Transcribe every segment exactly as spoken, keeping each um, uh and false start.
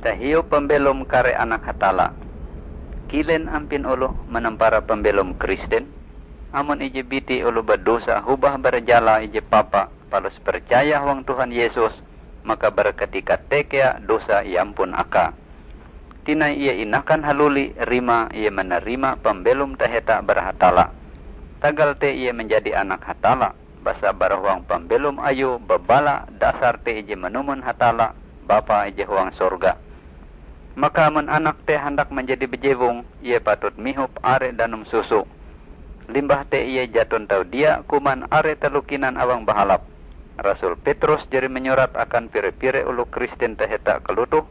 Tahiu pambelom kare anak Hatalla. Kilen ampin oloh manampara pambelom Kristen? Amon ije biti oloh badosa hobah bara jala ije papa palus percaya huang Tuhan Yesus, maka bara katika te kea dosa iampun akae. Tinai ie inakan haluli rimae ie manarima pambelom taheta bara Hatalla. Tagal te ie manjadi anak Hatalla, basa bara huang pambelom ayue babala dasar te ije manumon Hatalla, Bapa ije huang sorga. Maka amon anak te handak manjadi bejewong, ie patut mihop are danum susu. Limbah te ie jaton tau dia kuman are taloh kinan awang bahalap. Rasul Petrus jari manyurat akan pire-pire oloh Kristen taheta kalotoh,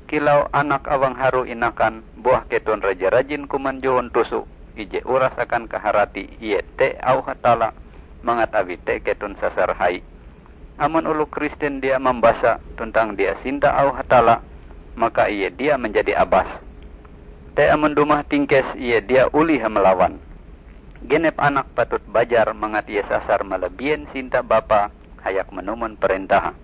"Kilau anak awang harue inakan, buah keton raja-rajin kuman johon tuso ije uras akan kaharati, iete auh Hatalla, mangat awi te keton sasar hai." Amon oloh Kristen dia mambasa tuntang dia sinta auh Hatalla, maka ie dia manjadi abas. Te amon dumah tingkes, ie dia olih malawan. Genep anak patut bajar mangat ie sasar malabien sinta bapa hayak manumon parentahe.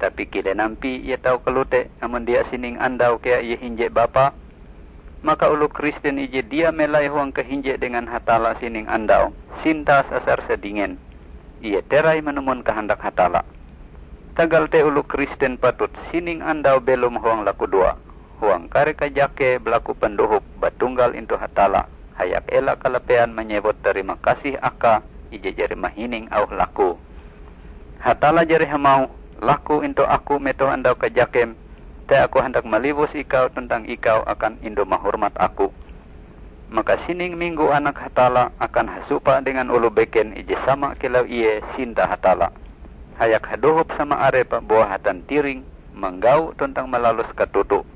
Tapi kilen ampie ie tau kalote amon dia sining andau kea ie hinje bapa? Maka oloh Kristen ije dia melai huang kahinje dengan Hatalla sining andau, sinta sasar sadingen. Ie terai manumon kahandak Hatalla. Tagal te oloh Kristen patut sining andau belom huang lakudoa, huang kare kajake balaku pandohop batunggal intu Hatalla, hayak ela kalapean manyewut tarima kasih akae ije jari mahining auh lakue. Hatalla jari hamauh, "Laku intu Aku metoh andau kajakem, te Aku handak maliwus ikau tuntang ikau akan indu mahormat Aku." Maka sining minggo Anak Hatalla akan hasupa dengan oloh beken ije sama kilau ie sinta Hatalla, hayak hadohop sama arepe buah hatantiring, manggau tuntang malalus katoto.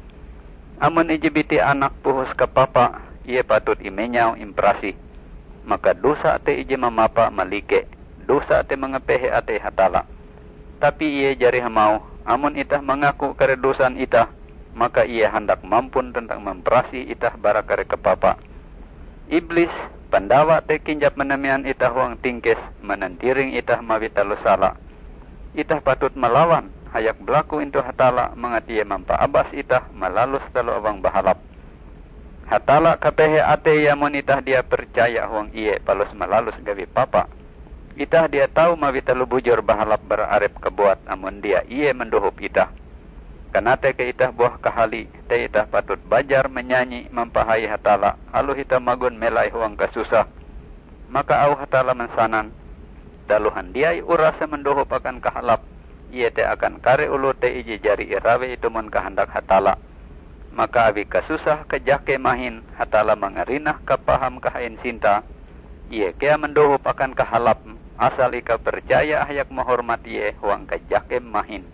Amon ije biti anak puhos kapapa, ie patut imenyau imparasih. Maka dosa te ije mamapa malike, dosa te mangapehe atei Hatalla. Tapi ie jari hamauh, "Amon itah mangaku kare dosan itah, maka Ie handak mampun tuntang mamparasih itah bara kare kapapa." Iblis, pandawa te kinjap manamean itah huang tingkes, manantiring itah mawi taloh sala. Itah patut malawan, hayak balaku intu Hatalla mangat Ie mampaabas itah malalus taloh awang bahalap. Hatalla kapehe ateie amon itah dia percaya huang Ie palus malalus gawi papa. Itah dia tau mawi taloh bujur bahalap bara arep kabuat amon dia Ie mandohop itah. Kanatei kea itah buah kahali, te itah patut bajar manyanyi mampahai Hatalla aloh itah magon melai huang kasusah. Maka auh Hatalla mansanan, "Taloh handiai urase mandohop akan kahalap, iete akan kare oloh te ije jari irawei tumon kahandak Hatalla." Maka awi kasusah kajake mahin, Hatalla mangarinah kapaham kahain sinta, Ie kea mandohop akan kahalap, asal ikau percaya hayak mahormat Ie huang kajakem mahin.